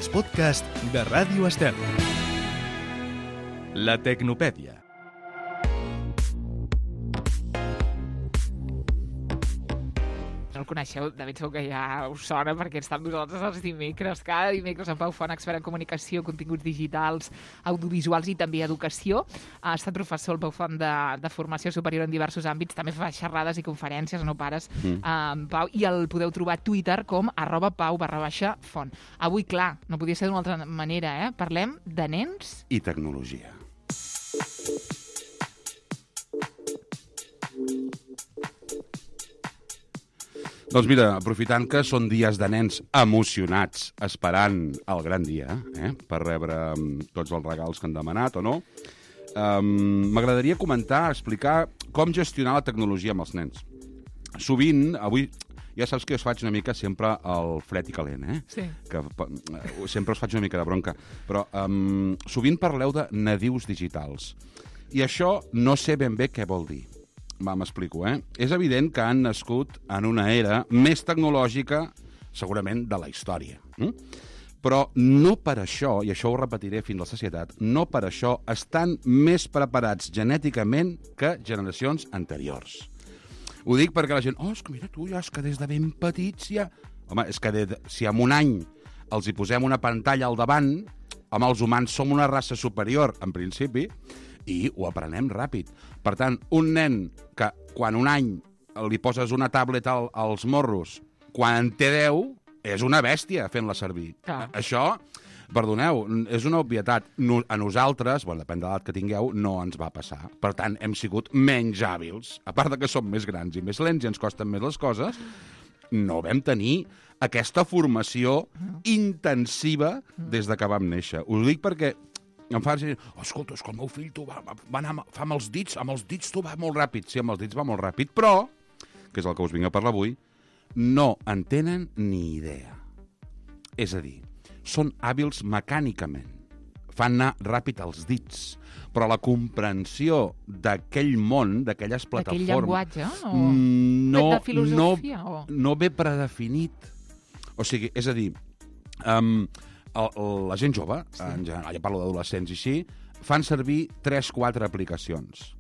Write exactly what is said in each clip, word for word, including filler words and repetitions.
els podcasts de Ràdio Estel. La Tecnopèdia. No el coneixeu, de ben segur que ja us sona perquè està amb nosaltres els dimecres. Cada dimecres en Pau Font, expert en comunicació, continguts digitals, audiovisuals i també educació. Ha estat professor el Pau Font de, de formació superior en diversos àmbits, també fa xerrades i conferències, no pares, mm. eh, Pau, i el podeu trobar a Twitter com arroba pau barra baixa font. Avui, clar, no podia ser d'una altra manera, eh? Parlem de nens i tecnologia. Doncs mira, aprofitant que són dies de nens emocionats, esperant el gran dia, eh, per rebre um, tots els regals que han demanat o no, um, m'agradaria comentar, explicar com gestionar la tecnologia amb els nens. Sovint, avui, ja saps que us faig una mica sempre el fred i calent, eh? Sí. Que uh, sempre us faig una mica de bronca. Però um, sovint parleu de nadius digitals. I això no sé ben bé què vol dir. Va, m'explico, eh? És evident que han nascut en una era més tecnològica, segurament, de la història. Mm? Però no per això, i això ho repetiré fins a la societat, no per això estan més preparats genèticament que generacions anteriors. Ho dic perquè la gent, oh, és que mira tu, ja és que des de ben petits ja... Home, és que de, si en un any els hi posem una pantalla al davant, home, els humans som una raça superior, en principi, i ho aprenem ràpid. Per tant, un nen que quan un any li poses una tablet al, als morros, quan en té deu, és una bèstia fent-la servir. Ah. Això, perdoneu, és una obvietat. No, a nosaltres, bueno, depèn de l'edat que tingueu, no ens va passar. Per tant, hem sigut menys hàbils. A part de que som més grans i més lents i ens costen més les coses, no vam tenir aquesta formació intensiva des de que vam néixer. Us ho dic perquè em fa dir, oh, escolta, és que el meu fill tu va, va anar fa amb els dits, amb els dits tu va molt ràpid. Sí, amb els dits va molt ràpid, però, que és el que us vinc a parlar avui, no en tenen ni idea. És a dir, són hàbils mecànicament. Fan anar ràpid els dits, però la comprensió d'aquell món, d'aquelles plataformes... D'aquell llenguatge? O... No, de filosofia? No, o... no ve predefinit. O sigui, és a dir... Um, El, el, la gent jove, sí. En general, ja parlo d'adolescents i així, fan servir tres quatre aplicacions.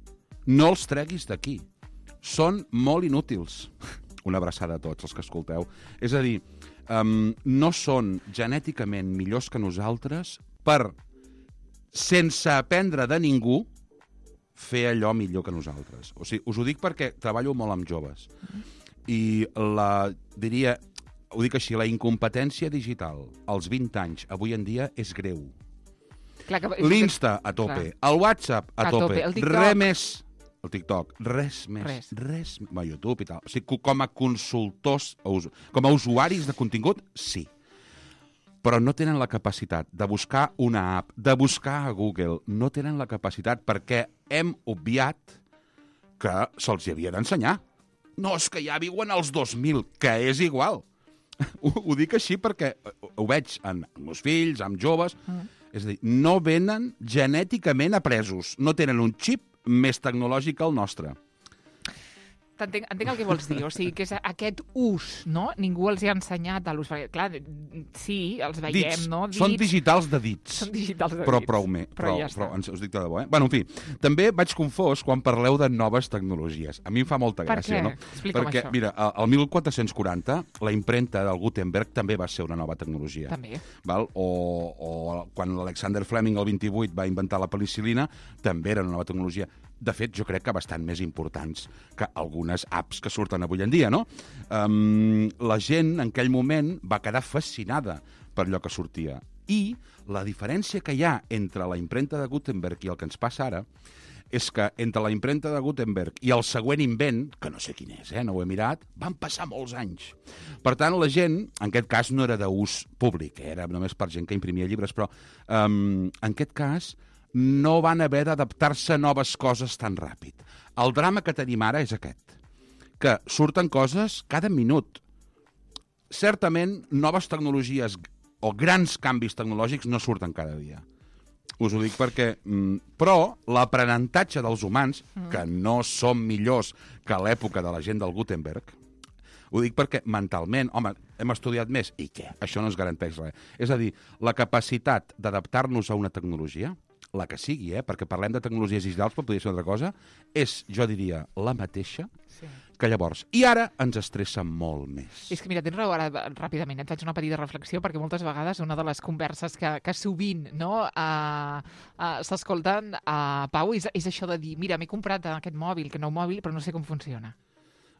No els treguis d'aquí. Són molt inútils. Una abraçada a tots els que escolteu. És a dir, um, no són genèticament millors que nosaltres per, sense aprendre de ningú, fer allò millor que nosaltres. O sigui, us ho dic perquè treballo molt amb joves. I la, diria... Ho dic així, la incompetència digital als vint anys, avui en dia, és greu. L'Insta, a tope. Clar. El WhatsApp, a, a tope. tope. Res més. El TikTok, res més. Res. Res. A YouTube i tal. O sigui, com a consultors, com a usuaris de contingut, sí. Però no tenen la capacitat de buscar una app, de buscar a Google. No tenen la capacitat perquè hem obviat que se'ls hi havia d'ensenyar. No, és que ja viuen als dos mil, que és igual. Ho, ho dic així perquè ho veig en meus fills, amb joves. Mm. És a dir, no venen genèticament apresos. No tenen un xip més tecnològic que el nostre. Entenc, entenc el que vols dir, o sigui, que és aquest ús, no? Ningú els hi ha ensenyat a l'ús, perquè, clar, sí, els veiem, dits. no? Dits. Són digitals de dits. Són digitals de però dits. Prou, me, però prou, ja prou, us dic de debò, eh? Bueno, en fi, també vaig confós quan parleu de noves tecnologies. A mi em fa molta gràcia, per no? Explica'm perquè, això. Mira, el mil quatre-cents quaranta, la impremta del Gutenberg també va ser una nova tecnologia. També. Val? O, o quan l'Alexander Fleming, el vint-i-vuit, va inventar la penicil·lina, també era una nova tecnologia. De fet, jo crec que bastant més importants que algunes apps que surten avui en dia, no? Um, la gent, en aquell moment, va quedar fascinada per allò que sortia. I la diferència que hi ha entre la impremta de Gutenberg i el que ens passa ara és que entre la impremta de Gutenberg i el següent invent, que no sé quin és, eh, no ho he mirat, van passar molts anys. Per tant, la gent, en aquest cas, no era d'ús públic, era només per gent que imprimia llibres, però um, en aquest cas no van haver d'adaptar-se a noves coses tan ràpid. El drama que tenim ara és aquest, que surten coses cada minut. Certament, noves tecnologies o grans canvis tecnològics no surten cada dia. Us ho dic perquè... Però l'aprenentatge dels humans, que no som millors que a l'època de la gent del Gutenberg, ho dic perquè mentalment... Home, hem estudiat més. I què? Això no ens garanteix res. És a dir, la capacitat d'adaptar-nos a una tecnologia, la que sigui, eh? perquè parlem de tecnologies digitals, però podria ser una altra cosa, és, jo diria, la mateixa sí. que llavors. I ara ens estressa molt més. És que, mira, tens raó, ara ràpidament et faig una petita reflexió, perquè moltes vegades una de les converses que, que sovint no, uh, uh, s'escolten a uh, Pau és, és això de dir, mira, m'he comprat aquest mòbil, que nou mòbil, però no sé com funciona.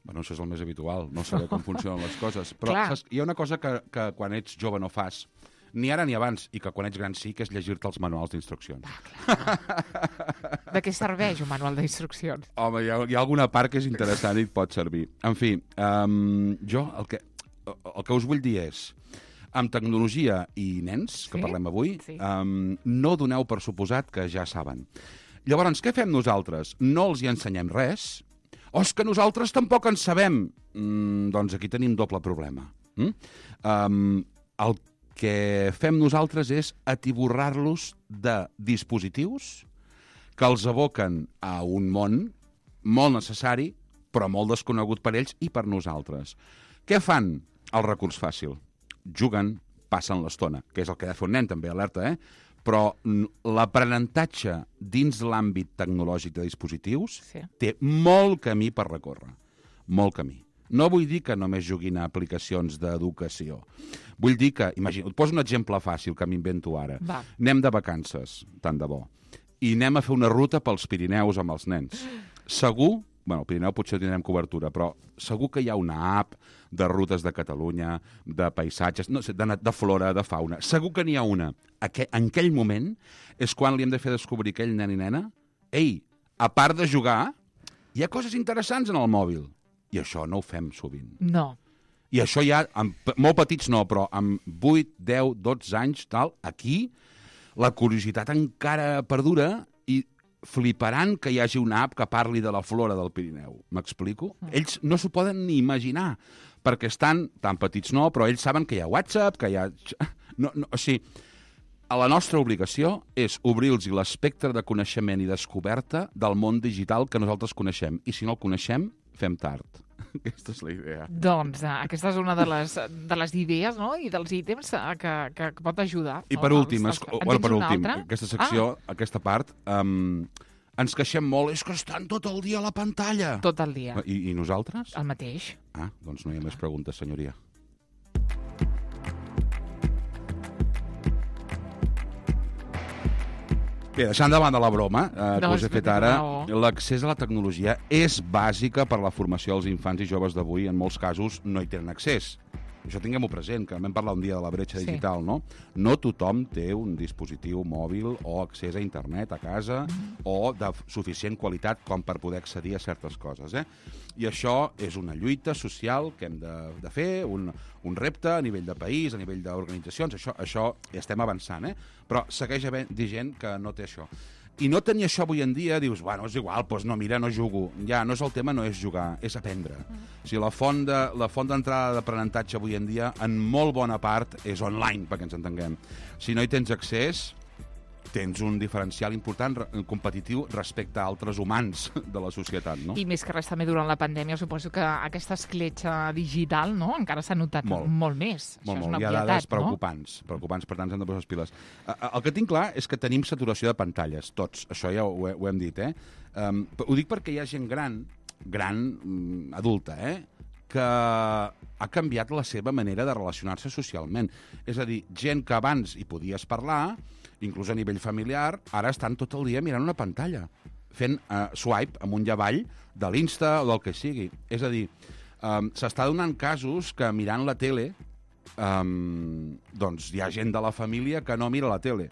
Bueno, això és el més habitual, no saber com funcionen les coses. Però saps, hi ha una cosa que, que quan ets jove no fas, ni ara ni abans, i que quan ets gran sí, que és llegir-te els manuals d'instruccions. Ah, de què serveix un manual d'instruccions? Home, hi ha, hi ha alguna part que és interessant i et pot servir. En fi, um, jo el que, el que us vull dir és, amb tecnologia i nens, que sí? parlem avui, sí. um, no doneu per suposat que ja saben. Llavors, què fem nosaltres? No els hi ensenyem res? O és que nosaltres tampoc en sabem? Mm, doncs aquí tenim doble problema. Mm? Um, el que fem nosaltres és atiborrar-los de dispositius que els aboquen a un món molt necessari, però molt desconegut per ells i per nosaltres. Què fan? El recurs fàcil. Juguen, passen l'estona, que és el que ha de fer un nen també, alerta, eh? Però l'aprenentatge dins l'àmbit tecnològic de dispositius sí. té molt camí per recórrer. Molt camí. No vull dir que només juguin a aplicacions d'educació. Vull dir que, imagina, et poso un exemple fàcil que m'invento ara. Va. Anem de vacances, tant de bo, i anem a fer una ruta pels Pirineus amb els nens. Segur, bueno, al Pirineu potser tindrem cobertura, però segur que hi ha una app de rutes de Catalunya, de paisatges, no sé, de, de flora, de fauna. Segur que n'hi ha una. Aqu en aquell moment és quan li hem de fer descobrir aquell nen i nena, ei, a part de jugar, hi ha coses interessants en el mòbil. I això no ho fem sovint. No. I això ja, amb, molt petits no, però amb vuit, deu, dotze anys, tal, aquí, la curiositat encara perdura i fliparan que hi hagi una app que parli de la flora del Pirineu. M'explico? Mm. Ells no s'ho poden ni imaginar, perquè estan, tan petits no, però ells saben que hi ha WhatsApp, que hi ha... No, no, o sigui, la nostra obligació és obrir-los l'espectre de coneixement i descoberta del món digital que nosaltres coneixem. I si no el coneixem, fem tard. Aquesta és la idea. Doncs uh, aquesta és una de les, de les idees, no?, i dels ítems uh, que, que pot ajudar. I per no? últim, els, els, bueno, per últim aquesta secció, ah. aquesta part, um, ens queixem molt, és que estan tot el dia a la pantalla. Tot el dia. I, i nosaltres? El mateix. Ah, doncs no hi ha més preguntes, senyoria. Bé, deixant de banda la broma eh, que us he fet ara, l'accés a la tecnologia és bàsica per a la formació dels infants i joves d'avui. En molts casos no hi tenen accés. Això tinguem-ho present, que vam parlar un dia de la bretxa sí. digital, no? No tothom té un dispositiu mòbil o accés a internet a casa mm. o de suficient qualitat com per poder accedir a certes coses, eh? I això és una lluita social que hem de, de fer, un, un repte a nivell de país, a nivell d'organitzacions, això, això ja estem avançant, eh? Però segueix havent gent que no té això. I no tenir això avui en dia, dius, bueno, és igual, doncs no, mira, no jugo. Ja, no és el tema, no és jugar, és aprendre. Mm. O sigui, la font de, la font d'entrada d'aprenentatge avui en dia, en molt bona part, és online, perquè ens entenguem. Si no hi tens accés, tens un diferencial important, competitiu, respecte a altres humans de la societat, no? I més que res també durant la pandèmia, suposo que aquesta escletxa digital, no?, encara s'ha notat molt, molt més. Molt, Això molt. és una Hi ha obvietat, dades preocupants, no? preocupants, per tant, ens hem de posar les piles. El que tinc clar és que tenim saturació de pantalles, tots. Això ja ho, ho hem dit, eh? Um, ho dic perquè hi ha gent gran, gran, adulta, eh?, que ha canviat la seva manera de relacionar-se socialment. És a dir, gent que abans hi podies parlar, inclús a nivell familiar, ara estan tot el dia mirant una pantalla, fent uh, swipe amunt i avall de l'Insta o del que sigui. És a dir, um, s'està donant casos que mirant la tele, um, doncs hi ha gent de la família que no mira la tele,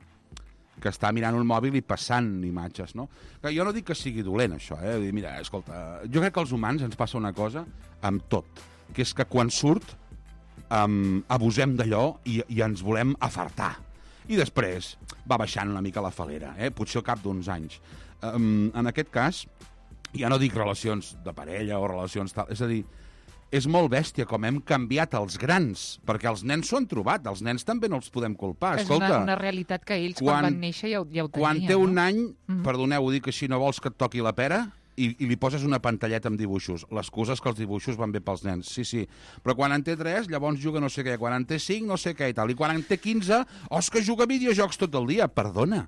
que està mirant un mòbil i passant imatges, no? Que jo no dic que sigui dolent, això, eh? Mira, escolta, jo crec que als humans ens passa una cosa amb tot, que és que quan surt um, abusem d'allò i, i ens volem afartar. I després va baixant una mica la falera, eh? Potser al cap d'uns anys. Um, en aquest cas, ja no dic relacions de parella o relacions tal, és a dir, és molt bèstia com hem canviat els grans, perquè els nens s'ho han trobat, els nens també no els podem culpar. És Escolta, una, una realitat que ells quan, quan van néixer ja ho, ja ho tenien. Quan té un no? any, mm. perdoneu, ho dic així, no vols que et toqui la pera, i, i li poses una pantalleta amb dibuixos. L'excusa és que els dibuixos van bé pels nens. Sí, sí. Però quan en té tres, llavors juga no sé què. Quan en té cinc, no sé què i tal. I quan en té quinze, oh, és que juga a videojocs tot el dia. Perdona.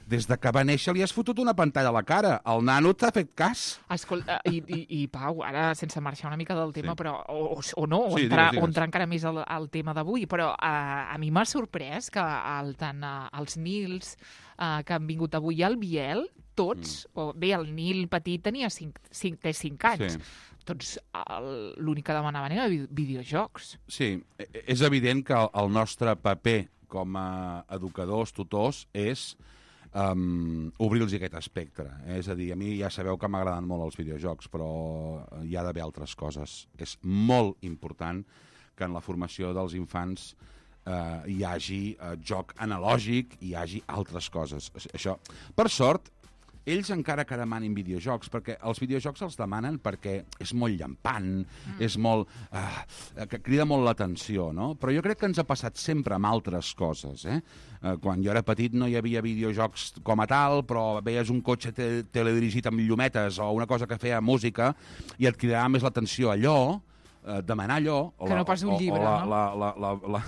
Des de que va néixer li has fotut una pantalla a la cara. El nano t'ha fet cas. Escolta, i, i, i Pau, ara sense marxar una mica del tema, Sí. però o, o no, o, Sí, entrar, digues, digues. o entrar encara més al, al tema d'avui, però uh, a mi m'ha sorprès que el, tant uh, els Nils uh, que han vingut avui al Biel, tots, mm. o bé, el Nil petit tenia cinc, cinc, té cinc anys, Sí. tots el- l'únic que demanaven era vi- videojocs. Sí, e- és evident que el, el nostre paper com a educadors, tutors, és um, obrir-los aquest espectre. Eh? És a dir, a mi ja sabeu que m'agraden molt els videojocs, però hi ha d'haver altres coses. És molt important que en la formació dels infants eh, hi hagi eh, joc analògic, hi hagi altres coses. Això, per sort, ells encara que demanin videojocs, perquè els videojocs els demanen perquè és molt llampant, mm. és molt... Uh, que crida molt l'atenció, no? Però jo crec que ens ha passat sempre amb altres coses, eh? Uh, quan jo era petit no hi havia videojocs com a tal, però veies un cotxe te teledirigit amb llumetes o una cosa que feia música i et cridava més l'atenció allò, uh, demanar allò... O Que la, no pas un o, llibre, o la, no? la, la, la, la,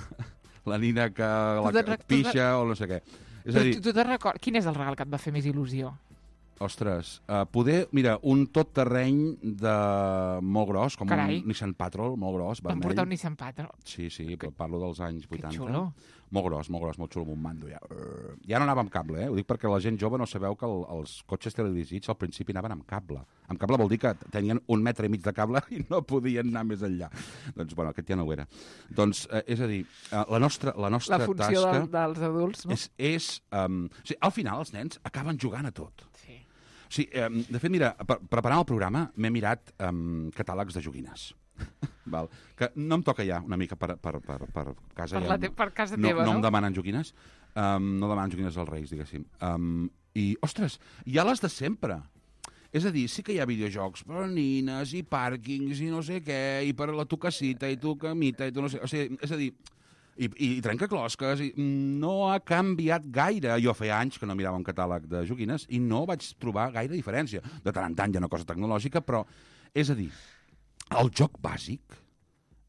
la nina que la, Tu te'n que rec- tu te'n- pixa o no sé què. És Tu, a dir, tu, tu te'n recordes? Quin és el regal que et va fer més il·lusió? ostres, uh, poder, mira, un tot terreny de molt gros, com Carai. un Nissan Patrol, molt gros, Van vermell. portar un Nissan Patrol. Sí, sí, però parlo dels anys vuitanta. xulo. Molt gros, molt gros, molt xulo, amb un mando ja. Ja no anava amb cable, eh? Ho dic perquè la gent jove no sabeu que el, els cotxes teledirigits al principi anaven amb cable. Amb cable vol dir que tenien un metre i mig de cable i no podien anar més enllà. Doncs, bueno, aquest ja no ho era. Doncs, eh, és a dir, eh, la nostra, la nostra La funció tasca del, dels adults, no? és... és um, o sigui, al final els nens acaben jugant a tot. Sí. Sí, eh, de fet, mira, per, preparant el programa m'he mirat um, catàlegs de joguines. Val. Que no em toca ja una mica per, per, per, per casa. Per, ja, la te per casa no, teva, no no? em demanen joguines. Um, no demanen joguines als Reis, diguéssim. Um, I, ostres, hi ha les de sempre. És a dir, sí que hi ha videojocs per a nines i pàrquings i no sé què, i per a la tu casita i tu camita i tu no sé... O sigui, és a dir, i, i, i trencaclosques, i no ha canviat gaire. Jo feia anys que no mirava un catàleg de joguines i no vaig trobar gaire diferència. De tant en tant hi ha una cosa tecnològica, però, és a dir, el joc bàsic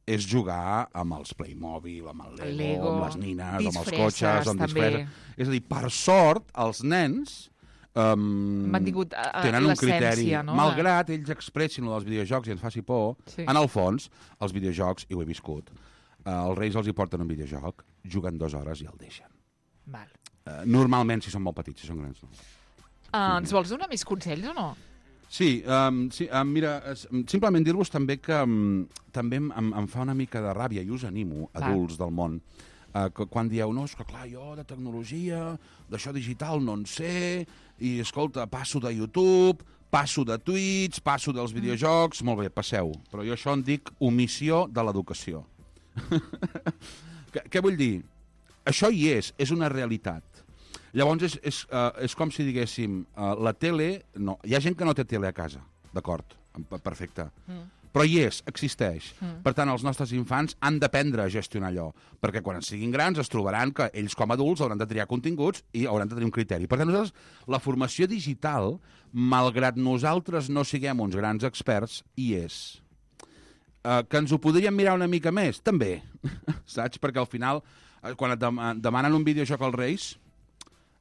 és jugar amb els Playmobil, amb el Lego, Lego, amb les nines, amb els disfresses, cotxes, amb també. disfresses. És a dir, per sort, els nens um, Han mantingut uh, tenen un criteri. l'essència, no? Malgrat ells expressin lo dels videojocs i ens faci por, Sí. en el fons, els videojocs, i ho he viscut, uh, els Reis els hi porten un videojoc, juguen dues hores i el deixen. Val. Uh, normalment, si són molt petits, si són grans, no. Uh, ens vols donar més consells o no? Sí, um, sí um, mira, es, simplement dir-vos també que um, també em, em, em fa una mica de ràbia, i us animo, Clar. adults del món, uh, que quan dieu, no, és que clar, jo de tecnologia, d'això digital no en sé, i escolta, passo de YouTube, passo de Twitch, passo dels videojocs, molt bé, passeu, però jo això en dic omissió de l'educació. Què vull dir? Això hi és, és una realitat. Llavors és, és, uh, és com si diguéssim, uh, la tele... No, hi ha gent que no té tele a casa, d'acord, perfecte. Mm. Però hi és, existeix. Mm. Per tant, els nostres infants han d'aprendre a gestionar allò, perquè quan siguin grans es trobaran que ells com a adults hauran de triar continguts i hauran de tenir un criteri. Per tant, nosaltres, la formació digital, malgrat nosaltres no siguem uns grans experts, hi és. Uh, que ens ho podríem mirar una mica més? També, saps? Perquè al final, uh, quan et dem demanen un videojoc als Reis,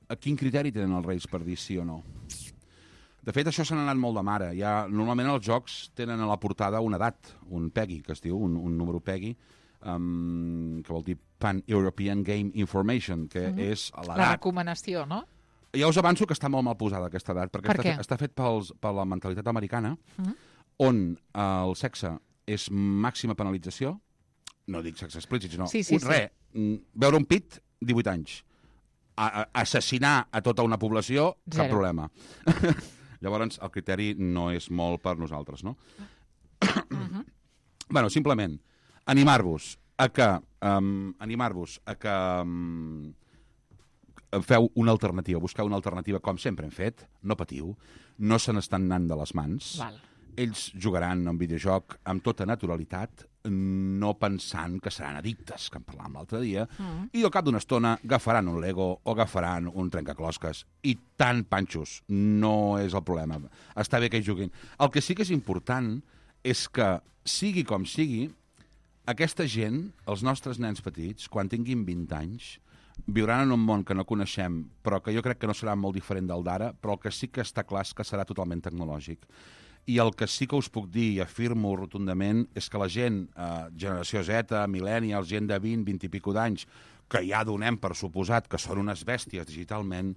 a quin criteri tenen els Reis per dir sí o no? De fet, això se n'ha anat molt de mare. Ja, normalment els jocs tenen a la portada una edat, un PEGI, que es diu, un, un número PEGI, um, que vol dir Pan-European Game Information, que mm-hmm. és La l'edat. recomanació, no? Ja us avanço que està molt mal posada aquesta edat, perquè Per està, què? fet, està fet pels, per la mentalitat americana, Mm-hmm. on eh, el sexe és màxima penalització, no dic sexe explícit, sinó Sí, sí, un, res, mm, veure un pit, divuit anys. A, a, assassinar a tota una població, cap Zero. problema. Llavors, el criteri no és molt per nosaltres, no? Mm-hmm. Bueno, simplement, animar-vos a que, um, animar-vos a que um, feu una alternativa, busqueu una alternativa com sempre hem fet, no patiu, no se n'estan anant de les mans, Val. ells jugaran a un videojoc amb tota naturalitat, no pensant que seran addictes, que en parlàvem l'altre dia, mm. i al cap d'una estona agafaran un Lego o agafaran un trencaclosques. I tant, panxos, no és el problema. Està bé que hi juguin. El que sí que és important és que, sigui com sigui, aquesta gent, els nostres nens petits, quan tinguin vint anys, viuran en un món que no coneixem, però que jo crec que no serà molt diferent del d'ara, però el que sí que està clar és que serà totalment tecnològic. I el que sí que us puc dir, i afirmo rotundament, és que la gent, eh, generació Z, millennials, gent de vint, vint i pico d'anys, que ja donem per suposat que són unes bèsties digitalment,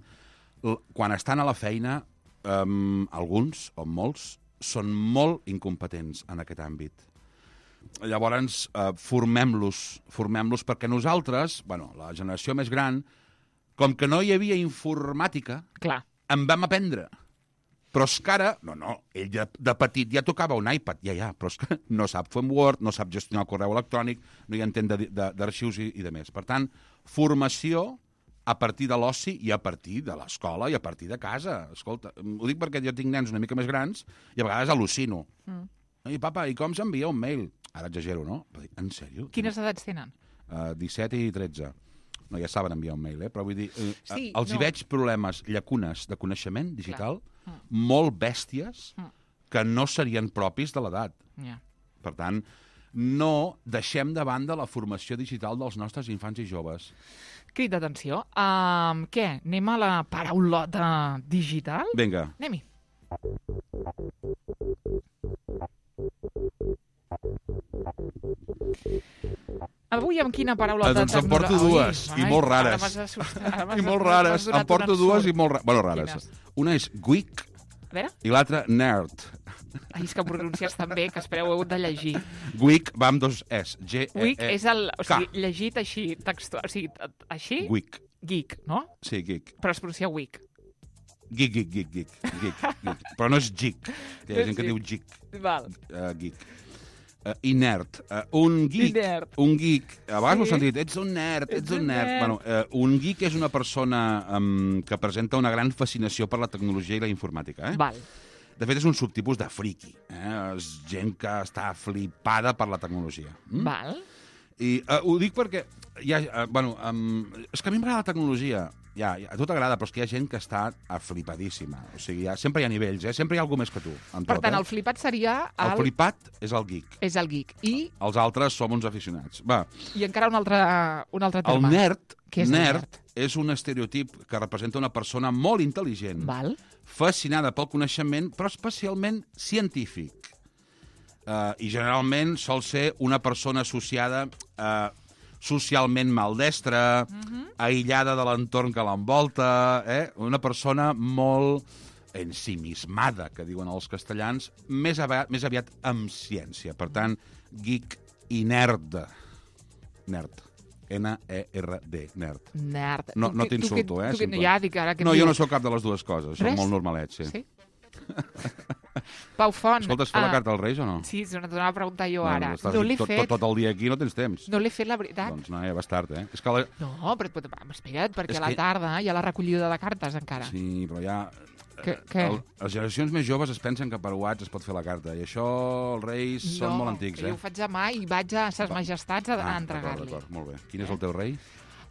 quan estan a la feina, eh, alguns, o molts, són molt incompetents en aquest àmbit. Llavors, eh, formem-los, formem-los perquè nosaltres, bueno, la generació més gran, com que no hi havia informàtica, Clar. en vam aprendre. Però és que ara, no, no, ell de, de petit ja tocava un iPad, ja, ja, però és que no sap fer un Word, no sap gestionar el correu electrònic, no hi entén d'arxius i, i de més. Per tant, formació a partir de l'oci i a partir de l'escola i a partir de casa. Escolta, ho dic perquè jo tinc nens una mica més grans i a vegades al·lucino. Mm. I papa, i com s'envia un mail? Ara exagero, no? Però dic, en sèrio? Quines edats tenen? Uh, disset i tretze. No, ja saben enviar un mail, eh? Però vull dir, eh, sí, els no. hi veig problemes, llacunes de coneixement digital, mm. molt bèsties, mm. que no serien propis de l'edat. Yeah. Per tant, no deixem de banda la formació digital dels nostres infants i joves. Crit d'atenció. Um, què? Anem a la paraulota digital? Vinga. Anem-hi. Avui amb quina paraulota doncs en porto dues, i molt rares. I molt rares. En porto dues i molt rares. Bueno, rares. Una és geek i l'altra nerd. Ai, és que pronuncies tan bé que espereu, heu hagut de llegir. Geek va amb dos S. G E E K. Geek és el... O sigui, llegit així, textual... O sigui, així... Geek. Geek, no? Sí, geek. Però es pronuncia geek. Geek, geek, geek, geek. geek, geek. Però no és geek. Hi ha gent que diu geek. Val. Uh, geek. Uh, I nerd. Uh, un geek, nerd. un geek, a vegades Sí. m'ho he sentit, ets un nerd, ets, Ets un un nerd. nerd. Bueno, uh, un geek és una persona um, que presenta una gran fascinació per la tecnologia i la informàtica. Eh? Val. De fet, és un subtipus de friki. Eh? És gent que està flipada per la tecnologia. Mm? Val. I uh, ho dic perquè hi ha, uh, bueno, um, és que a mi m'agrada la tecnologia. Ja, ja, a tu t'agrada, però és que hi ha gent que està aflipadíssima. O sigui, ja, sempre hi ha nivells, eh? Sempre hi ha algú més que tu. En Per tot, tant, eh? el flipat seria... El, el flipat és el geek. És el geek. I, Els altres som uns aficionats. Va, i encara un altre, un altre el terme. nerd, Què és el nerd nerd? és un estereotip que representa una persona molt intel·ligent, Val. fascinada pel coneixement, però especialment científic. Uh, I generalment sol ser una persona associada a uh, socialment maldestra, uh-huh. aïllada de l'entorn que l'envolta, eh? Una persona molt ensimismada, que diuen els castellans, més aviat, més aviat amb ciència. Per tant, geek i nerd. Nerd. N E R D, nerd. Nerd. No, Tu no que- t'insulto, tu que- eh? tu que- Simple. Ja, dic, ara que em No, jo dius. no sóc cap de les dues coses, soc Res? molt normalet, sí. Sí? Pau Font. Escolta, has fet ah, la carta als Reis o no? Sí, és una, t'ho anava a preguntar jo ara. Doncs estàs No l'he tot, fet. tot, tot el dia aquí no tens temps. No l'he fet, la veritat. Doncs no, ja vas tard, eh? És que la... No, però però, espera't, perquè És a la que- tarda hi ha la recollida de cartes encara. Sí, però ja... Què- què? El, les generacions més joves es pensen que per WhatsApp es pot fer la carta, i això els Reis no, són molt antics, eh? jo ho faig demà i vaig a ses majestats a, a Ah, entregar-li. d'acord, d'acord, molt bé. Quin és el teu rei?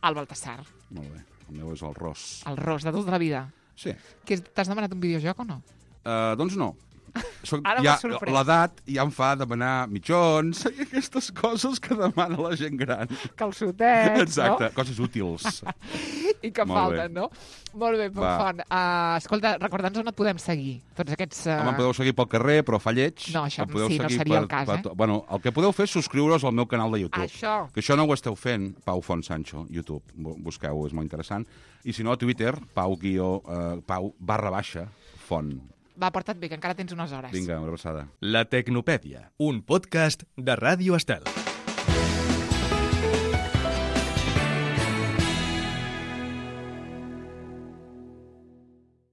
El Baltasar, Molt bé. El meu és el Ros. el ros de tota la vida. Sí. Que és- T'has demanat un videojoc o no? Uh, doncs no. Soc, Ara ja, m'ha sorprès. l'edat ja em fa demanar mitjons i aquestes coses que demana la gent gran. Calçotets, Exacte, coses útils. no? I que Molt falten, no? Molt bé, Pau Va. Font. Uh, escolta, recorda'ns on et podem seguir. Tots aquests... Uh... Home, em podeu seguir pel carrer, però fa lleig. No, això Em podeu sí, no seguir seria el cas, eh? to- Bueno, el que podeu fer és subscriure-us al meu canal de YouTube. Això. Que això no ho esteu fent, Pau Font Sancho, YouTube. Bu- Busqueu, és molt interessant. I si no, a Twitter, Pau, guió, uh, Pau barra baixa, Font. Va, porta't bé, que encara tens unes hores. Vinga, una abraçada. La Tecnopèdia, un podcast de Ràdio Estel.